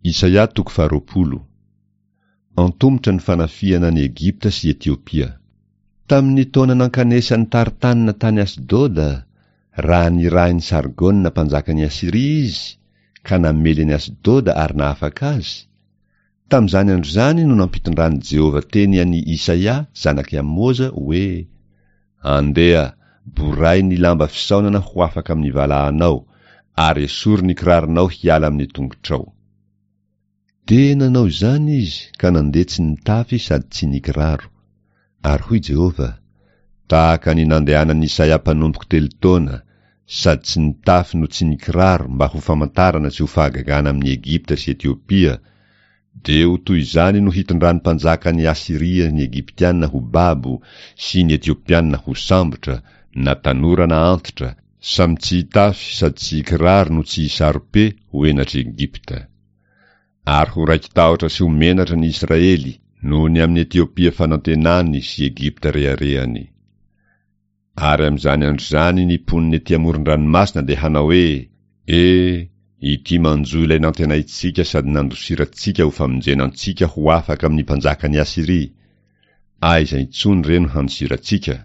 Isaia toko faharoapolo. Antomotra ny fanafihana an'i Egypta sy Etiopia. Tamin'ny taona nankanesan'i Tartana tany Asdoda, raha nirahin'i Sargona mpanjakan'i Asyria izy, ka namely an'i Asdoda ary nahafaka azy, tamin'izany andro izany no nampitondran'i Jehovah teny an'i Isaia zanak'i Amoza hoe, Andeha, boray ny lamba fisaonana ho afaka amin'ny valahanao, ary esory ny kiraronao hiala amin'ny tongotrao. Dia nanao izany izy ka nandeha tsy nitafy sady tsy nikiraro. Ary hoy Jehovah, Tahaka ny nandehanan'i Isaia mpanompoko telo taona, sady tsy nitafy no tsy nikiraro mba ho famantarana sy ho fahagagana amin'i Egypta sy Etiopia, dia ho toy izany no hitondran'ny mpanjakan'i Asyria ny Egyptiana ho babo sy ny Etiopiana ho sambotra, na tanora na antitra, samy tsy hitafy sady tsy hikiraro no tsy hisaro-pe ho henatr'i Egypta. Ary ho raiki-tahotra sy ho menatra ny Israely noho ny amin'i Etiopia fanantenany sy Egypta reharehany. Ary amin'izany andro izany ny mponina ety amoron-dranomasina dia hanao hoe, E, ity manjo ilay nantenaintsika sady nandosirantsika ho famonjena antsika ho afaka amin'ny mpanjakan'i Asyria! Aiza intsony re no handosirantsika?